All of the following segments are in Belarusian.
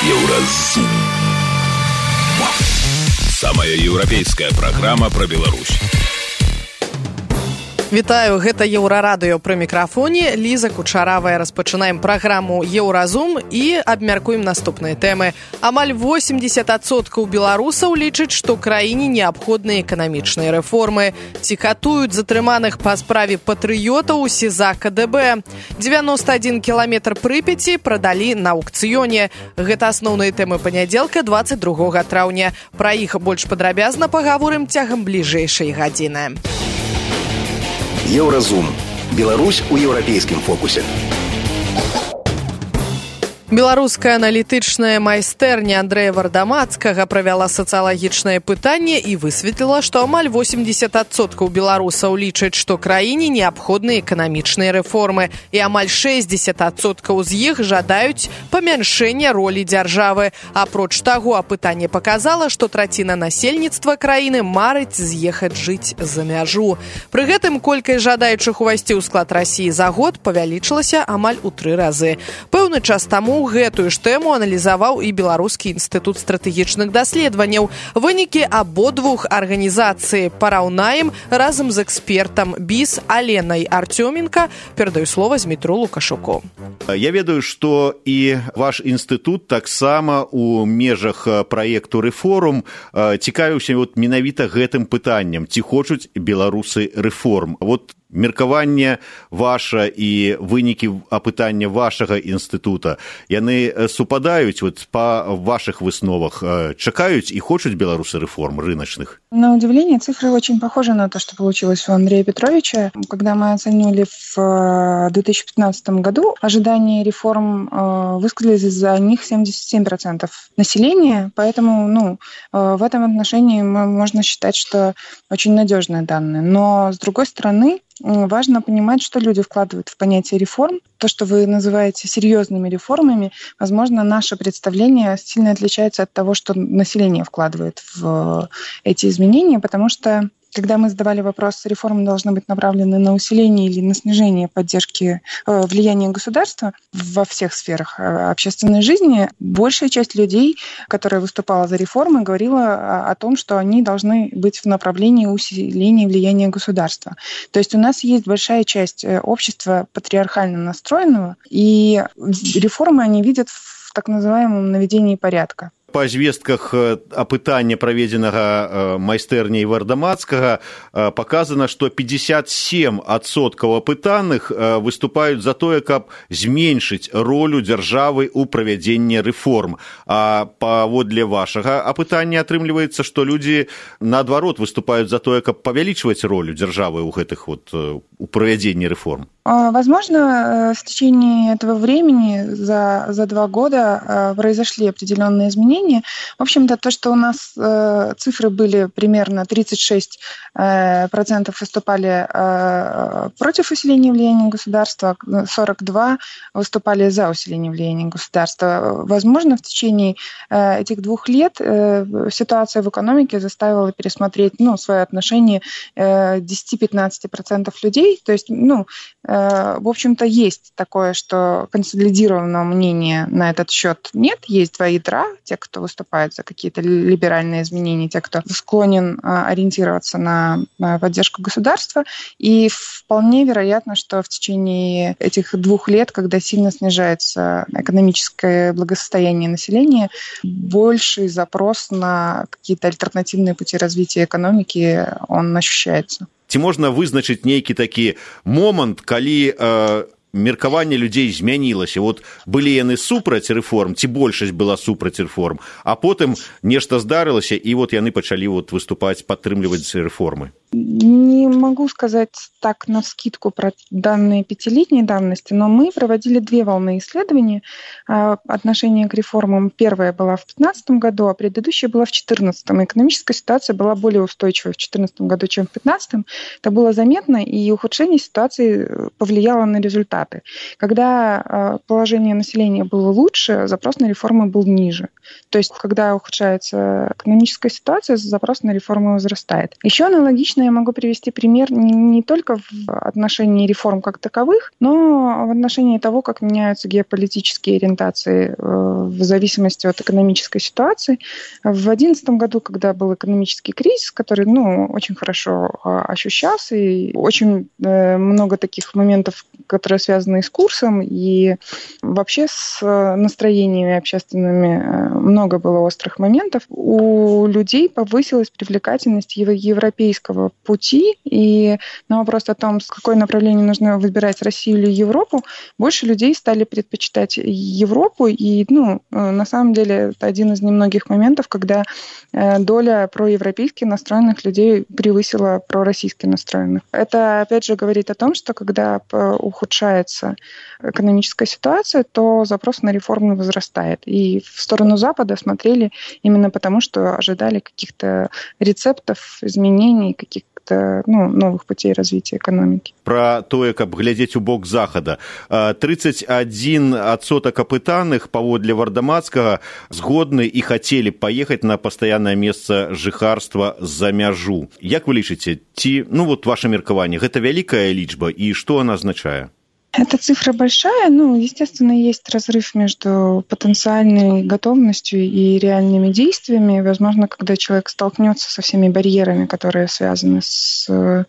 Еўразум. Самая еўрапейская праграма пра Беларусь. Вітаю, гэта Еўрарадыё пры мікрафоне. Ліза Кучаравая. Распачынаем праграму Еўразум і абмяркуем наступныя тэмы. Амаль 80% беларусаў лічаць, што краіне неабходныя эканамічныя рэформы. Ці катуюць затрыманых па справе патрыётаў у СІЗА КДБ. 91 кіламетр Прыпяці прадалі на аўкцыёне. Гэта асноўныя тэмы панядзелка 22 траўня. Пра іх больш падрабязна пагаворым цягам бліжэйшай гадзіны. Еўразум. Беларусь у еўрапейскім фокусе. Беларуская аналітычная майстэрня Андрэя Вардамацкага правяла сацыялагічнае пытанне і высветліла, што амаль 80% беларусаў лічаць, што краіне неабходныя эканамічныя рэформы, і амаль 60% з іх жадаюць памяншэння ролі дзяржавы. Апроч таго, апытанне паказала, што траціна насельніцтва краіны марыць з'ехаць жыць за мяжу. Пры гэтым колькасць жадаючых увайсці ў склад Расіі за год павялічылася амаль у 3 разы. Пэўны час таму гэтую ж тэму аналізаваў і Беларускі інстытут стратэгічных даследаванняў. Вынікі абодвух арганізацый параўнаем разам з экспертам БІС Аленай Артёменка. Перадаю слова Змітру Лукашуку. Я ведаю, што і ваш інстытут таксама у межах праекту «Рэформ» цікавіўся менавіта гэтым пытаннем. Ці хочуць беларусы рэформ? Меркаванне ваша і вынікі апытання вашага інстытута, яны супадаюць па ваших высновах? Чакаюць и хочуць беларусы реформ рыночных? На удивление, цифры очень похожи на то, что получилось у Андрея Петровича. Когда мы оценивали в 2015 году, ожидания реформ высказались за них 77% населения, поэтому в этом отношении можно считать, что очень надежные данные. Но, с другой стороны, важно понимать, что люди вкладывают в понятие реформ. То, что вы называете серьезными реформами, возможно, наше представление сильно отличается от того, что население вкладывает в эти изменения, потому что когда мы задавали вопрос, реформы должны быть направлены на усиление или на снижение поддержки влияния государства во всех сферах общественной жизни, большая часть людей, которая выступала за реформы, говорила о том, что они должны быть в направлении усиления влияния государства. То есть у нас есть большая часть общества патриархально настроенного, и реформы они видят в так называемом наведении порядка. Па звестках апытання, праведзенага майстэрняй Вардамацкага, паказана, што 57% апытаных выступаюць за тое, каб зменшыць ролю дзяржавы ў правядзенні рэформ. А паводле вашага апытання атрымліваецца, што людзі, наадварот, выступаюць за тое, каб павялічваць ролю дзяржавы ў гэтых у правядзенні рэформ. Возможно, в течение этого времени, за 2 года, произошли определенные изменения. В общем-то, то, что у нас цифры были примерно 36% выступали против усиления влияния государства, 42% выступали за усиление влияния государства. Возможно, в течение этих 2 лет ситуация в экономике заставила пересмотреть свое отношение 10-15% людей. То есть, в общем-то, есть такое, что консолидированного мнения на этот счет нет. Есть 2 ядра, те, кто выступает за какие-то либеральные изменения, те, кто склонен ориентироваться на поддержку государства. И вполне вероятно, что в течение этих 2 лет, когда сильно снижается экономическое благосостояние населения, больший запрос на какие-то альтернативные пути развития экономики, он ощущается. Ці можна вызначыць нейкі такі момант, калі меркаванне людзей змянілася? Былі яны супраць рэформ, ці большасць была супраць рэформ, а потым нешта здарылася, і яны пачалі выступаць, падтрымліваць рэформы? Не могу сказать так навскидку про данные 5-летней давности, но мы проводили 2 волны исследований отношения к реформам. Первая была в 2015 году, а предыдущая была в 2014. Экономическая ситуация была более устойчивой в 2014 году, чем в 2015. Это было заметно, и ухудшение ситуации повлияло на результаты. результаты. Когда положение населения было лучше, запрос на реформы был ниже. То есть, когда ухудшается экономическая ситуация, запрос на реформы возрастает. Еще аналогично я могу привести пример не только в отношении реформ как таковых, но в отношении того, как меняются геополитические ориентации в зависимости от экономической ситуации. В 2011 году, когда был экономический кризис, который очень хорошо ощущался, и очень много таких моментов, которые связаны с курсом, и вообще с настроениями общественными много было острых моментов. У людей повысилась привлекательность европейского пути, и на вопрос о том, с какое направление нужно выбирать, Россию или Европу, больше людей стали предпочитать Европу, и на самом деле это один из немногих моментов, когда доля проевропейски настроенных людей превысила пророссийски настроенных. Это, опять же, говорит о том, что когда ухудшается экономическая ситуация, то запрос на реформы возрастает. И в сторону Запада смотрели именно потому, что ожидали каких-то рецептов, изменений, каких-то новых путей развития экономики. Про тое, каб глядзець у бок захада. 31% апытаных паводле Вардамацкага згодны і хацелі паехаць на пастаяннае месца жыхарства за мяжу. Як вы лічыце, ці, ваше меркаванне, гэта вялікая лічба, і што она азначае? Эта цифра большая, естественно, есть разрыв между потенциальной готовностью и реальными действиями. Возможно, когда человек столкнется со всеми барьерами, которые связаны с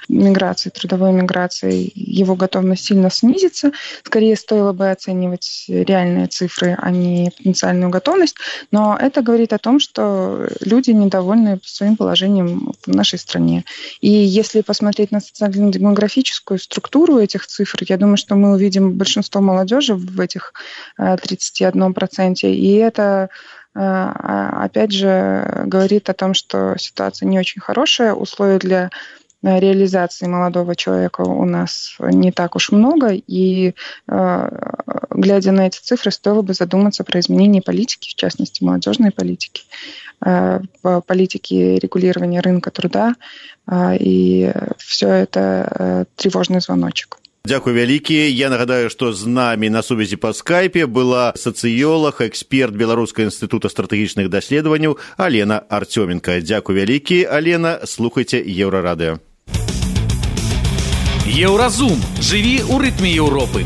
миграцией, трудовой миграцией, его готовность сильно снизится. Скорее, стоило бы оценивать реальные цифры, а не потенциальную готовность. Но это говорит о том, что люди недовольны своим положением в нашей стране. И если посмотреть на социально-демографическую структуру этих цифр, я думаю, что мы увидим большинство молодежи в этих 31%. И это, опять же, говорит о том, что ситуация не очень хорошая, условия для реализации молодого человека у нас не так уж много, и, глядя на эти цифры, стоило бы задуматься про изменение политики, в частности, молодежной политики, политики регулирования рынка труда, и все это тревожный звоночек. Дзякуй вялікі. Я нагадаю, што з намі на сувязі па скайпе была сацыёлаг, эксперт Беларускага інстытута стратэгічных даследаванняў Алена Артёменка. Дзякуй вялікі, Алена. Слухайце Еўрарадыё. Еўразум. Жыві ў рытме Еўропы.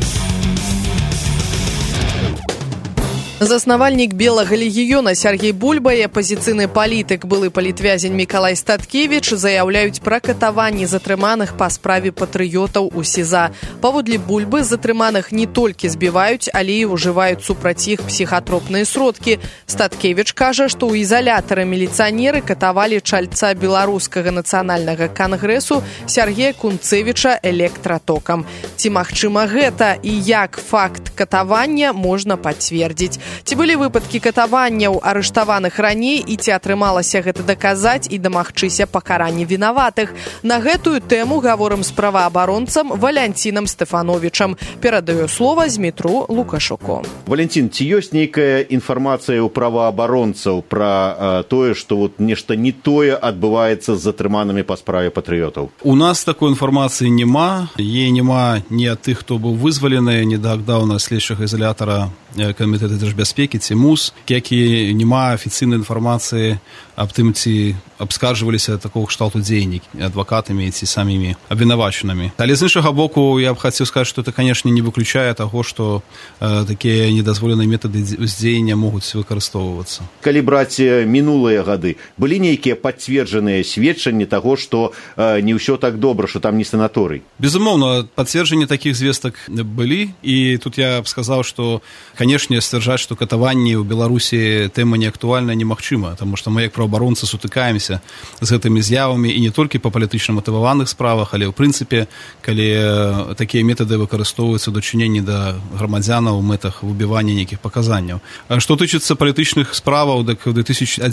Заснавальнік Белага легіёна Сяргей Бульба і апазіцыйны палітык, былы палітвязень Мікалай Статкевіч заяўляюць пра катаванні затрыманых па справе патрыётаў у СІЗА. Паводле Бульбы, затрыманых не толькі збіваюць, але і ўжываюць супраць іх псіхатропныя сродкі. Статкевіч кажа, што ў ізалятары міліцыянеры катавалі чальца беларускага нацыянальнага кангрэсу Сяргея Кунцевіча электратокам. Ці магчыма гэта і як факт катавання можна пацвердзіць? Ці былі выпадкі катаванняў арыштаваных раней і ці атрымалася гэта даказаць і дамагчыся пакарання вінаватых? На гэтую тэму гаворым з праваабаронцам Валянцінам Стэфановічам. Перадаю слова Змітру Лукашуку. Валянцін, ці ёсць нейкая інфармацыя ў праваабаронцаў пра тое, што нешта не тое адбываецца з затрыманымі па справе патрыётаў? У нас такой інфармацыі няма. Е няма ні ад тых, хто быў вызвалены недаўна следчага ізалятара Камітэта дзяржбяспекі ці МУС, як і няма афіцыйнай інфармацыі аб тым, ці абскарджваліся такого кшталту дзеянні адвакатамі ці самімі абвінавачанымі. Але з іншага боку, я б хацеў сказаць, што это, канешне, не выключае таго, што такія недазволеныя метады ўздзеяння могуць выкарыстоўвацца. Калі браць мінулыя гады, былі нейкія пацверджаныя сведчанні таго, што не ўсё так добра, што там не санаторый? Безумоўна, пацверджанні такіх звестак былі, і тут я б сказаў, што, канешне, сцвярджаць, што катаванні ў Беларусі тэма не актуальная, немагчыма, таму што мы як праваабаронцы сутыкаемся з гэтымі з'явамі і не толькі па палітычна матываваных справах, але ў прынцыпе, калі такія метады выкарыстоўваюцца ў дачыненні да грамадзянаў у мэтах выбівання нейкіх паказанняў. Што тычыцца палітычных справаў, так у 2011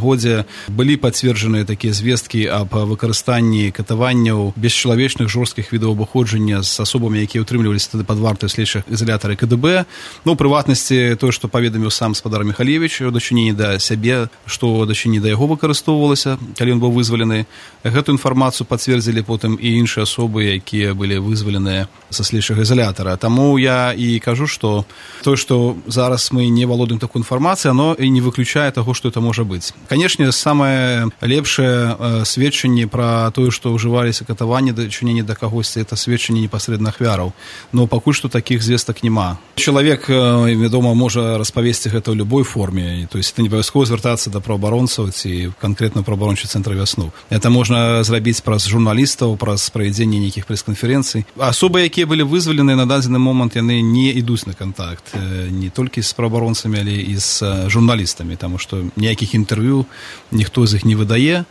годзе былі пацверджаныя такія звесткі аб выкарыстанні катаванняў бесчалавечных жорсткіх відаў абыходжання з асобамі, якія ўтрымліваліся тады пад вартай у следчых ізалятары КДБ. прыватнасці тое, што паведаміў сам спадар Михалевич у дачыненні да сябе, што у дачыненні да яго выкарыстоўвалася, калі ён быў вызвалены. Гэту інфармацыю пацвердзілі потым і іншыя асобы, якія былі вызваленыя са следчага изолятора. Таму я і кажу, што тое, што зараз мы не валодаем такой інфармацыі, оно і не выключае таго, што это можа быць. Канешне, самае лепшае сведчанне пра тое, што ўжываліся катаванні, дачыненні да кагосьці, это сведчанне непасрэдна ахвяраў. Но пакуль што такіх звестак няма. Чалавек, вядома, можа распавесці гэта ў любой форме. То есть это не абавязкова звяртацца да праваабаронцаў ці канкрэтна праваабарончы цэнтр «Вясну». Это можна зрабіць праз журналістаў, праз правядзенне нейкіх прэс-канферэнцый. Асобы, якія былі вызвалены на дадзены момант, яны не ідуць на кантакт. Не толькі з праваабаронцамі, але і з журналістамі, таму што ніякіх інтэрв'ю ніхто з іх не выдае.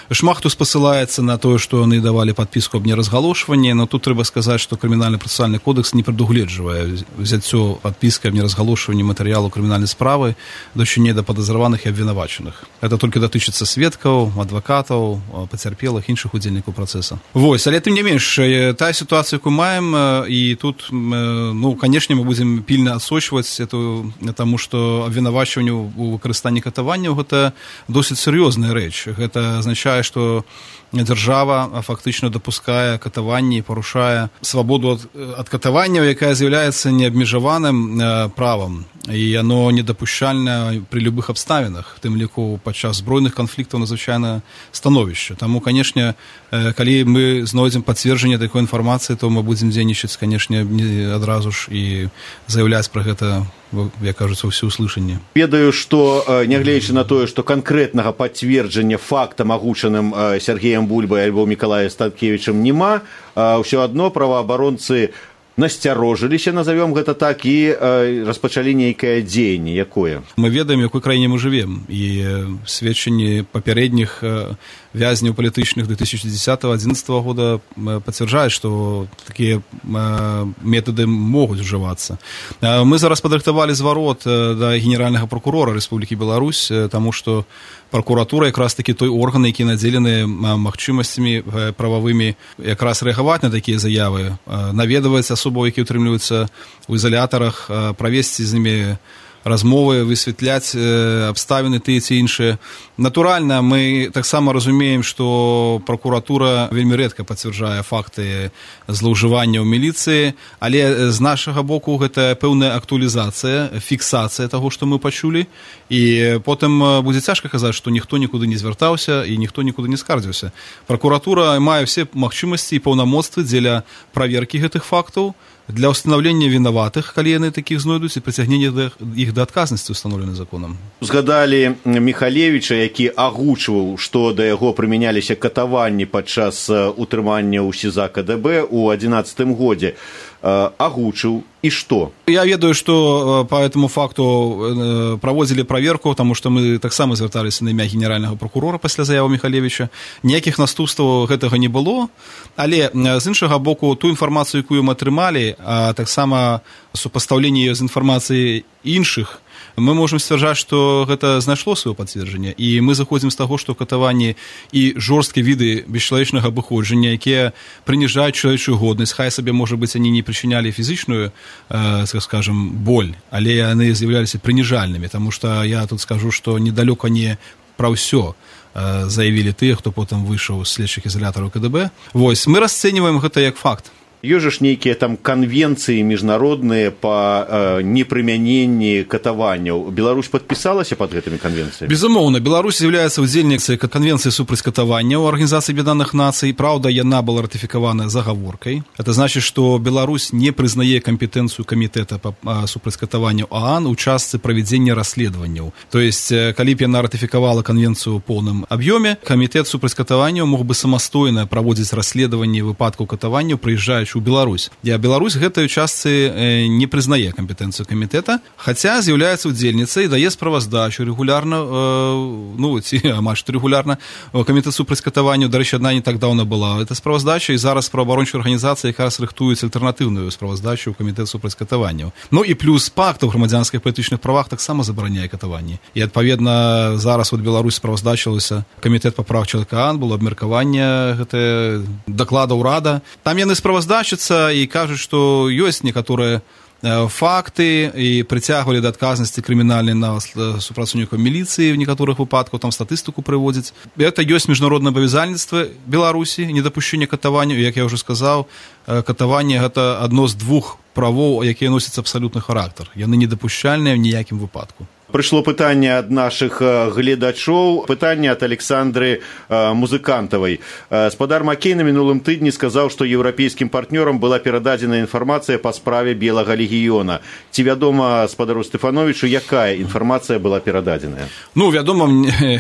Шмат хто спасылаецца на тое, што яны давалі падпіску аб неразгалошванні, но тут трэба сказаць, што крымінальна-працэсуальны кодекс не прадугледжвае ўзяццё падпіскай аб неразгалошванні матэрыялу крымінальнай справы дачынення да падазраваных і абвінавачаных. Это толькі датычыцца сведкаў, адвакатаў, пацярпелых, іншых удзельнікаў працэса. Вось, але тым не менш, тая сітуацыя, якую маем, і тут, ну, канешне, мы будзем пільна адсочваць эту, таму што абвінавачванню ў выкарыстанні катаванняў гэта досыць сур'ёзная рэч. Гэта азначае, што дзяржава фактычна дапускае катаванні і парушае свабоду ад катаванняў, якая з'яўляецца неабмежаваным правам. І яно недапушчальна пры любых абставінах, тым ліку падчас збройных канфліктаў надзвычайнае становішча. Таму, канешне, калі мы знойдзем пацверджанне такой інфармацыі, то мы будзем дзейнічаць, канешне, адразу ж і заяўляць пра гэта, як кажуцца, ўсе ўслышанні. Ведаю, што, нягледзячы на тое, што канкрэтнага пацверджання фактам, агучаным Сергеем Бульбай альбо Мікалаем Статкевічам, няма, ўсё адно праваабаронцы насцярожыліся, назовём гэта так, і распачалі нейкае дзеянне. Якое? Мы ведаем, якой краіне мы жывем, і сведчанні папярэдніх вязняў палітычных 2010-2011 года пацвярджаюць, што такія метады могуць ужывацца. Мы зараз падрыхтавалі зварот да генеральнага прокурора Рэспублікі Беларусь, таму што прокуратура якраз такі той орган, які надзелены магчымасцямі прававымі якраз рэагаваць на такія заявы, наведваць асобаў, які ўтрымліваюцца ў изолятарах, правесці з імі размовы, высвятляць абставіны тыя ці іншыя. Натуральна, мы таксама разумеем, што прокуратура вельмі рэдка пацвярджае факты злоўжывання ў міліцыі, але з нашага боку гэта пэўная актуалізацыя, фіксацыя таго, што мы пачулі, і потым будзе цяжка казаць, што ніхто нікуды не звяртаўся і ніхто нікуды не скардзіўся. Прокуратура мае ўсе магчымасці і паўнамоцтвы дзеля праверкі гэтых фактаў, для ўстанаўлення вінаватых, калі яны такіх знойдуць, і прыцягнення іх да адказнасці ўстаноўленай законам. Узгадалі Михалевича, які агучваў, што да яго прымяняліся катаванні падчас утрымання ў СІЗА КДБ ў 2011 годзе. Агучыў, і што? Я ведаю, што по этому факту праводзілі праверку, таму што мы таксама звярталіся на імя генеральнага прокурора пасля заявы Михалевича. Ніякіх наступстваў гэтага не было, але з іншага боку, ту інфармацыю, якую мы атрымалі, а таксама супастаўленне з інфармацыяй іншых, мы можам сцвярджаць, што гэта знайшло сваё пацверджанне, і мы заходзім з таго, што катаванні і жорсткія віды бесчалавечнага абыходжання, якія прыніжаюць чалавечую годнасць, хай сабе, можа быць, они не прычынялі фізічную, скажем, боль, але яны з'яўляліся прыніжальнымі, таму што я тут скажу, што недалёка не пра ўсё заявілі тыя, хто потым выйшаў з следчых ізалятараў КДБ. Вось, мы расцэньваем гэта як факт. Ёсць ж нейкія там канвенцыі міжнародныя па непрымяненні катаванняў. Беларусь падпісалася пад гэтымі канвенцыямі? Безумоўна, Беларусь з'яўляецца ўдзельніцай канвенцыі супраць катаванняў Арганізацыі Аб'яднаных Нацый. Праўда, яна была ратыфікавана загаворкай. Это значит, што Беларусь не прызнае кампетэнцыю камітэта супраць катаванняў ААН у частцы правядзення расследаванняў. То есть, калі б яна ратыфікавала канвенцыю ў поўным аб'ёме, камітэт супраць катаванняў мог бы самастойна праводзіць расследаванні выпадкаў катаванняў, прыязджаючы ў Беларусь. Беларусь гэтай частцы не прызнае кампетэнцыю камітэта, хаця з'яўляецца ўдзельніцай, дае справаздачу рэгулярна, ці амаль што рэгулярна, камітэт супраць катаванняў, дарэчы, адна не так даўно была эта справаздача, і зараз праваабарончыя арганізацыі якраз рыхтуюць альтэрнатыўную справаздачу ў камітэт супраць катаванняў. Ну і плюс пакт у грамадзянскіх палітычных правах таксама забараняе катаванні. І адпаведна зараз Беларусь справаздачылася камітэт па правах чалавека ААН, было абмеркаванне гэтае даклада ўрада. Там яны справаздачацца і кажуць, што ёсць некаторыя факты і прыцягвалі да адказнасці крымінальнай нават супрацоўнікаў міліцыі в некаторых выпадках, там статыстыку прыводзяць. Это ёсць міжнароднае абавязальніцтва Беларусі, недапушчэнне катаванняў, як я ўжо сказаў, катаванне гэта адно з двух правоў, якія носяць абсалютны характар. Яны недапушчальныя ў ніякім выпадку. Прыйшло пытанне ад нашых гледачоў, пытанне ад Александры Музыкантавай. Спадар Макей на мінулым тыдні сказаў, што еўрапейскім партнёрам была перададзена інфармацыя па справе Белага легіёна. Ці вядома спадару Стэфановічу, якая інфармацыя была перададзеная? Ну, вядома,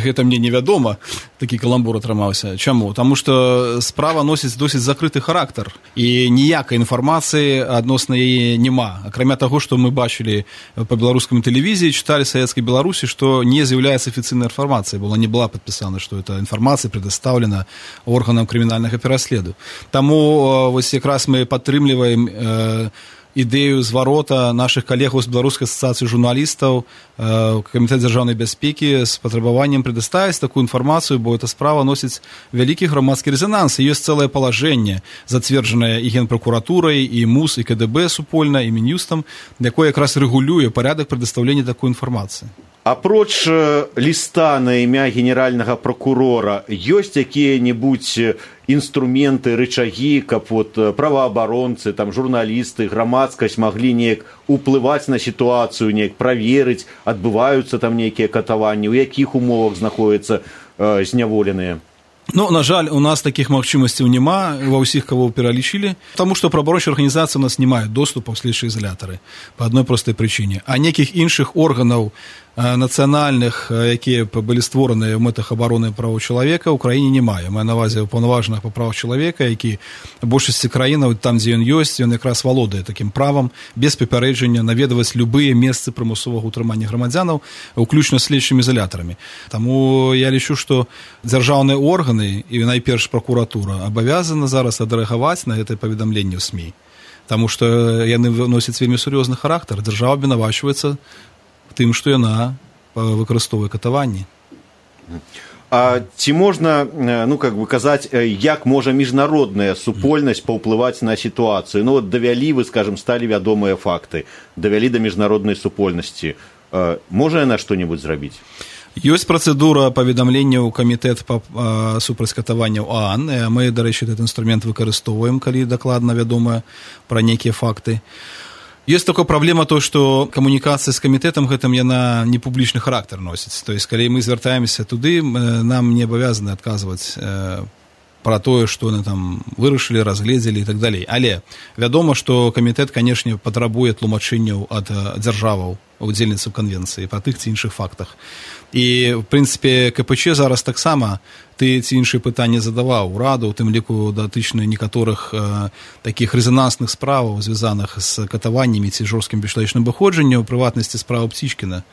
гэта мне невядома, такі каламбур атрымаўся. Чаму? Таму што справа носіць досыць закрыты характар, і ніякай інфармацыі адносна яе няма. Акрамя таго, што мы бачылі па беларускай тэлевізіі, чыталі Советской Беларуси, что не является официальной информацией, не была подписана, что эта информация предоставлена органам криминальных пераследу. Тому вот как раз мы падтрымліваем ідэю зварота наших калегаў з Беларускай асацыяцыі журналістаў, Камітэт дзяржаўнай бяспекі з патрабаваннем предоставіць такую інфармацыю, бо эта справа носіць вялікі грамадскі рэзананс. Ёсць цэлае палажэнне, зацверджанае і Генпракуратурай, і МУС, і КДБ супольна, і Мін'юстам, якое якраз рэгулюе парядак прадастаўлення такой інфармацыі. Апроч ліста на імя генеральнага прокурора, ёсць якія-небудзь інструменты, рычагі, каб вот праваабаронцы, там журналісты, грамадскасць маглі неяк уплываць на сітуацыю, неяк праверыць, адбываюцца там нейкія катаванні, у якіх умовах знаходзяцца зняволеныя? Ну, на жаль, у нас таких магчымасцяў няма ва ўсіх, кого пералічылі, потому что праваабарончыя арганізацыі у нас не маюць доступу ў следчыя изоляторы по одной простой причине. А неких іншых органаў нацыянальных, якія былі створаныя ў мэтах абароны правоў чалавека, ў краіне не мае. Маю на ўвазе ўпаўнаважаных па правах чалавека, які в большасці краінаў, там, дзе ён ёсць, ён якраз валодае такім правам без папярэджання наведваць любыя месцы прымусовага ўтрымання грамадзянаў, уключна следчымі изоляторамі. Таму я лічу, што дзяржаўныя органы і найперш прокуратура абавязана зараз адрэагаваць на гэтае паведамленне ў СМІ. Таму што яны носяць вельмі сур'ёзны характар. Дзяржава абвінавачваецца тым, што яна выкарыстоўвае катаванні. А ці можна, казаць, як можа міжнародная супольнасць паўплываць на сітуацыю? Ну, вот давялі, вы, скажем, сталі вядомыя факты, давялі да міжнароднай супольнасці. Можа яна што-небудзь зрабіць? Ёсць працэдура паведамлення ў камітэт супраць катаванняў ААН. Мы, дарэчы, этот інструмент выкарыстоўваем, калі дакладна вядома пра нейкія факты. Есть такая проблема, то, что коммуникация с комитетом гэтым яна не публічны характар носіць. То есть, калі мы звяртаемся туды, нам не абавязаны адказваць пра тое, што яны там вырашылі, разгледзелі і так далей. Але вядома, што камітэт, канешне, патрабуе тлумачэнняў ад дзяржаваў, удзельніцаў канвенцыі па тых ці іншых фактах. І, в прынцыпе, КПЧ зараз таксама ты ці іншыя пытанні задаваў ураду, у тым ліку датычна некаторых такіх рэзанансных справаў, звязаных з катаваннямі ці жорсткім бесчалавечным абыходжаннем, у прыватнасці справу Птічкіна.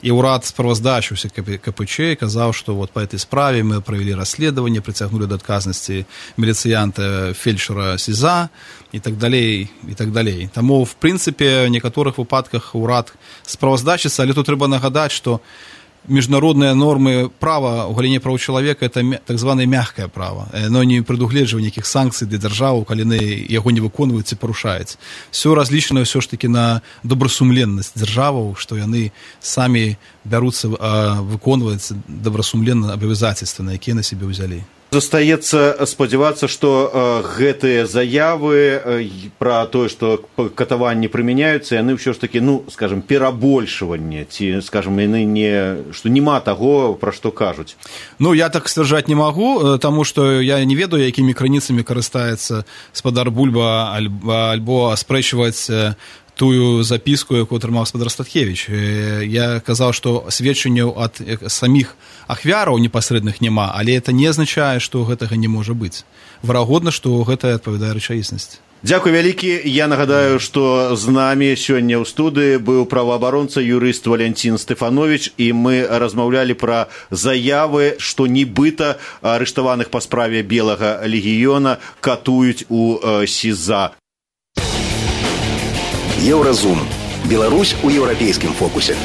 І ўрад справаздачыўся КПЧ і казаў, што вот па этой справе мы правялі расследаванне, прыцягнулі да адказнасці міліцыянта фельчара СІЗА і так далей, і так далей. Таму, в прынцыпе, в некаторых выпадках урад справаздачыцца, але тут трэба нагадаць, што міжнародныя нормы права ў галіне правоў чалавека это так званае мягкае права. Оно не прадугледжвае нейкіх санкцый для дзяржаваў, калі яго не выконваюць ці парушаюць. Все разлічана ўсё ж такі на добрасумленнасць дзяржаваў, што яны самі бяруцца выконваць добрасумленна абавязацельствы, на якія на сябе ўзялі. Застаецца спадзявацца, што гэтыя заявы пра тое, што катаванні прымяняюцца, яны ўсё ж такі, скажем, перабольшванне, ці, скажем, яны што няма таго, пра што кажуць. Я так сцвярджаць не магу, таму што я не ведаю, якімі крыніцамі карыстаецца спадар Бульба, альбо аспрэчваць тую запіску, якую атрымаў спадар Статкевіч. Я казаў, што сведчанняў ад саміх ахвяраў непасрэдных няма, але это не азначае, што гэтага не можа быць. Верагодна, што гэта адпавядае рэчаіснасці. Дзякуй вялікі. Я нагадаю, што з намі сёння ў студыі быў праваабаронца, юрыст Валянцін Стэфановіч, і мы размаўлялі пра заявы, што нібыта арыштаваных па справе Белага легіёна катуюць у СІЗА. Еўразум. Беларусь у еўрапейскім фокусе.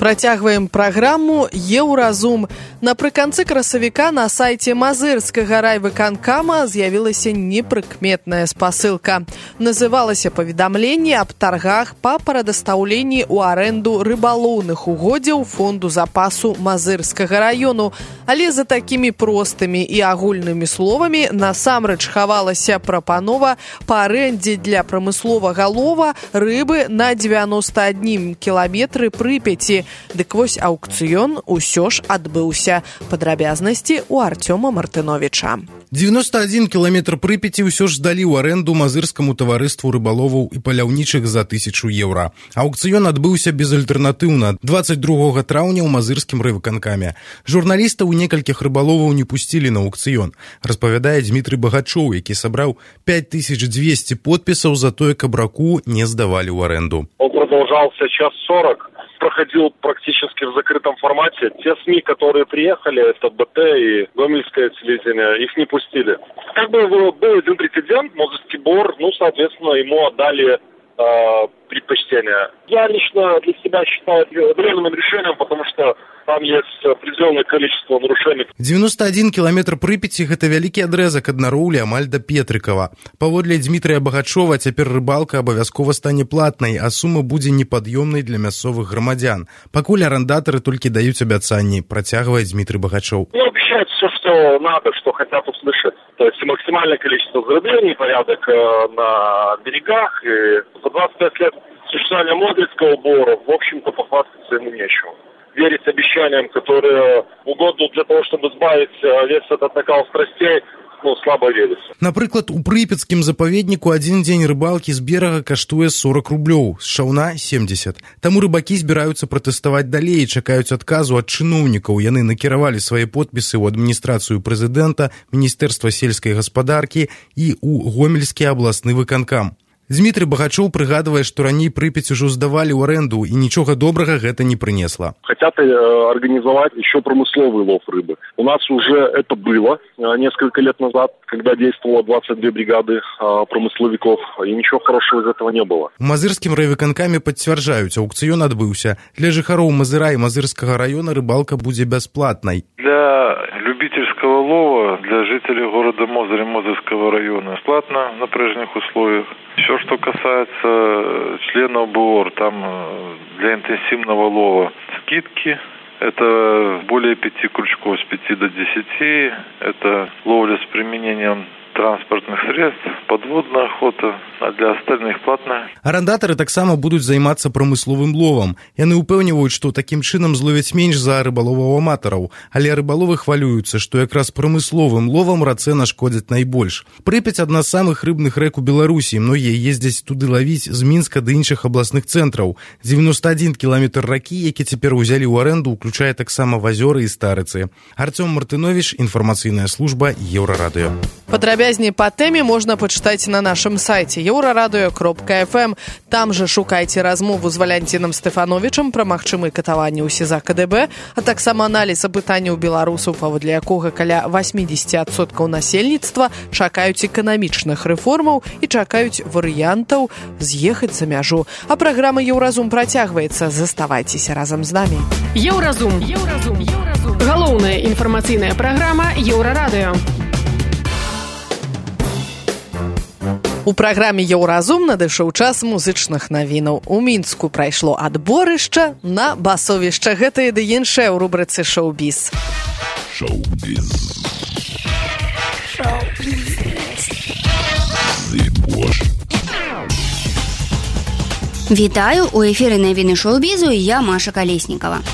Працягваем праграму «Еўразум». Напрыканцы красавіка на сайце Мазырскага райвыканкама з'явілася непрыкметная спасылка. Называлася паведамленне аб таргах па прадастаўленні ў арэнду рыбалоўных угоддзяў фонду запасу Мазырскага раёну. Але за такімі простымі і агульнымі словамі насамрэч хавалася прапанова па арэндзе для прамысловага лова рыбы на 91 кіламетры Прыпяці. Дык вось аўкцыён усё ж адбыўся. Падрабязнасці у Артёма Мартыновіча. 91 кіламетр Прыпяці ўсё ж здалі ў арэнду Мазырскаму таварыству рыбаловаў і паляўнічых за 1000 еўра. Аўкцыён адбыўся безальтэрнатыўна 22 траўня ў Мазырскім райвыканкаме. Журналістаў і некалькіх рыбаловаў не пусцілі на аўкцыён, распавядае Дмітрый Багачоў, які сабраў 5200 подпісаў за тое, каб раку не здавалі ў арэнду. Он продолжался час 40. Проходил практически в закрытом формате. Те СМИ, которые приехали, это БТ и Гомельское телевидение, их не пустили. Как бы был один прецедент, Мозырский бор, соответственно, ему отдали предпочтение. Я лично для себя считаю это временным решением, потому что там есть определенное количество нарушений. 91 кіламетр Прыпяці – гэта вялікі адрэзак ад Нароўлі амаль да Петрыкава. Паводле Дмітрыя Багачова, цяпер рыбалка абавязкова стане платнай, а сума будзе непад'ёмнай для мясцовых грамадзян. Пакуль арандатары толькі даюць абяцанні, працягвае Дмітрый Багачоў. Обещают все, что надо, что хотят услышать. То есть максимальное количество зарыблений, порядок на берегах. И за 25 лет существования Мозырского бора, в общем-то, похвастаться ему нечего. Верить обещаниям, которые угодно для того, чтобы сбавить весь этот накал страстей, слабо верится. Напрыклад, у Прыпяцкім запаведніку адзін дзень рыбалкі з берага каштуе 40 рублёў, з шаўна 70. Таму рыбакі збіраюцца пратэставаць далей і чакаюць адказу ад чыноўнікаў. Яны накіравалі свае подпісы ў адміністрацыю прэзідэнта, Міністэрства сельскай гаспадаркі і ў Гомельскі абласны выканкам. Дмітрый Багачоў прыгадвае, што раней Прыпяць ужо здавалі ў арэнду, і нічога добрага гэта не прынесла. Хотят организовать еще промысловый лов рыбы. У нас уже это было несколько лет назад, когда действовало 22 бригады промысловиков, и ничего хорошего из этого не было. У Мазырскім райвыканкаме пацвярджаюць, аўкцыён адбыўся. Для жыхароў Мазыра і Мазырскага района рыбалка будзе бясплатнай. Для любительского лова, для жителей города Мозырь и Мозырского района бесплатно на прежних условиях. Все, что касается членов БОР, там для интенсивного лова скидки. Это более 5 крючков с 5 до 10. Это ловля с применением транспортных средств, подводная охота, а для остальных платная. Арандатары таксама будуць займацца прамысловым ловам. Яны ўпэўніваюць, што такім чынам зловяць менш за рыбаловаў-аматараў, але рыбаловы хвалююцца, што якраз прамысловым ловам рацэ нашкодзяць найбольш. Прыпяць адна з самых рыбных рэк у Беларусі, многія ездзяць туды лавіць з Мінска да іншых абласных цэнтраў. 91 кіламетр ракі, які цяпер узялі ў арэнду, уключае таксама азёры і старыцы. Артём Мартыновіч, інфармацыйная служба Еўрарадыё. Падрабязней па тэме можна пачытаць на нашым сайце euraradыё.fm. Там жа шукайце размову з Валянцінам Стэфановічам пра магчымыя катаванні ў СІЗА КДБ, а таксама аналіз апытанняў беларусаў, паводле якога каля 80% насельніцтва чакаюць эканамічных рэформаў і чакаюць варыянтаў з'ехаць за мяжу. А праграма «Еўразум» працягваецца. Заставайцеся разам з намі. Еўразум. Галоўная інфармацыйная праграма Еўрарадыё. У праграме «Еўразум» надышоў час музычных навінаў. У Мінску прайшло адборышча на басовішча. Гэта і ды іншае ў рубрыцы «Шоу-біз». Вітаю, у эфіры навіны шоу-бізу і я, Маша Калеснікава.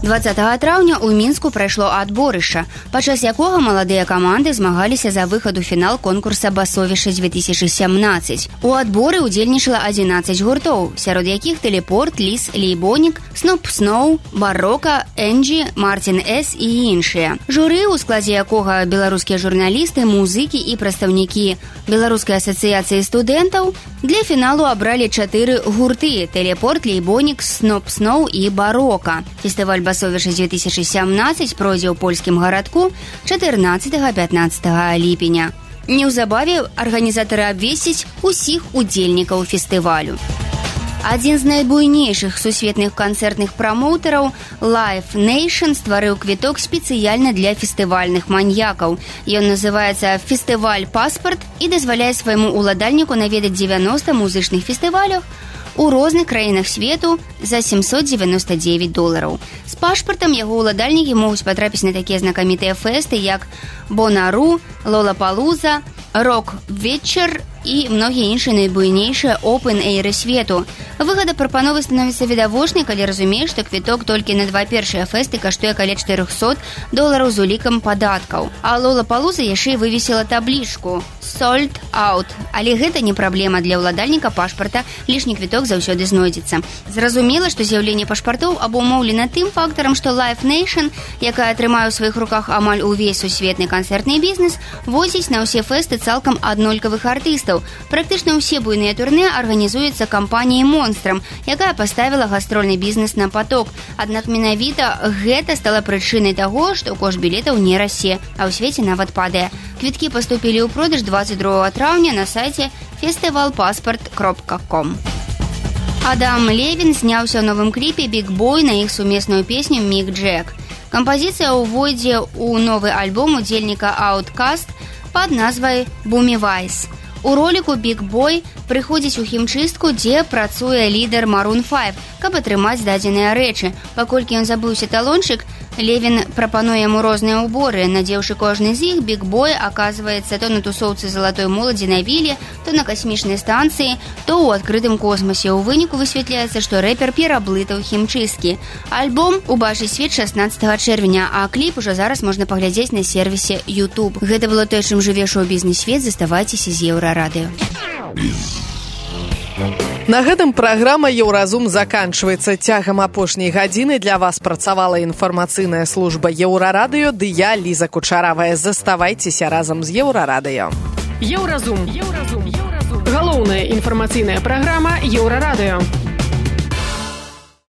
20 траўня ў Мінску прайшло адборышча, падчас якога маладыя каманды змагаліся за выхад у фінал конкурса «Басовішча-2017». У адборы ўдзельнічала 11 гуртоў, сярод якіх «Тэлепорт», «Ліс», «Лейбонік», «Сноп Сноу», «Барока», «Энджі», «Мартін С» і іншыя. Журы, у складзе якога беларускія журналісты, музыкі і прадстаўнікі Беларускай асацыяцыі студэнтаў, для фіналу абралі 4 гурты – «Тэлепорт», «Лейбонік», «Сноп Сноу» і «Барока». Фестываль «Басовішча-2017» пройдзе ў польскім гарадку 14-15 ліпеня. Неўзабаве арганізатары абвесцяць усіх удзельнікаў фестывалю. Адзін з найбуйнейшых сусветных канцэртных прамоўтараў Live Nation стварыў квіток спецыяльна для фестывальных маньякаў. Ён называецца «Фестываль Паспарт» і дазваляе свайму уладальніку наведаць 90 музычных фестываляў у розных краінах свету за $799. З пашпартам яго уладальнікі могуць патрапіць на такія знакамітыя фэсты, як Бонару, Лолапалуза, Рок-Вечер і многія іншыя найбуйнейшыя опен-эйры свету. Выгода прапановы становіцца відавочнай, калі разумееш, што квіток толькі на 2 першыя фэсты каштуе каля $400 з улікам падаткаў. А Лолапалуза яшчэ і вывесіла таблічку «Sold out». Але гэта не праблема для ўладальніка пашпарта, лішні квіток заўсёды знойдзецца. Зразумела, што з'яўленне пашпартоў абумоўлена тым фактарам, што Live Nation, якая трымае ў сваіх руках амаль увесь сусветны канцэртны бізнес, возіць на ўсе фэсты цалкам аднолькавых артыстаў. Практычна ўсе буйныя турне арганізуюцца кампаніяй «Монстрам», якая паставіла гастрольны бізнес на паток. Аднак менавіта гэта стала прычынай таго, што кошт білетаў не расце, а ў свеце нават падае. Квіткі паступілі ў продаж 22 траўня на сайце festivalpassport.com. Адам Левін зняўся ў новым кліпе «Big Boy» на іх сумесную песню «Мік Джек». Кампазіцыя ўвойдзе ў новы альбом удзельніка Outkast пад назвай «Boomy Vice». У роліку «Big Boy» прыходзіць у хімчыстку, дзе працуе лідар Maroon 5, каб атрымаць дадзеныя рэчы. Паколькі ён забыўся талончык, Левін прапануе яму розныя ўборы. Надзеўшы кожны з іх, «Big Boy» аказваецца то на тусоўцы залатой моладзі на віле, то на касмічнай станцыі, то ў адкрытым космосе. У выніку высвятляецца, што рэпер пераблытаў хімчысткі. Альбом убачыць свет 16 чэрвеня, а кліп ужо зараз можна паглядзець на сервісе YouTube. Гэта было тое, чым жыве шоу-бізнес-свет. Заставайцеся з Еўрарадыё. На гэтым праграма «Еўразум» заканчваецца. Цягам апошняй гадзіны для вас працавала інфармацыйная служба Еўрарадыё, ды я, Ліза Кучаравая. Заставайцеся разам з Еўрарадыё. Еўразум. Галоўная інфармацыйная праграма Еўрарадыё.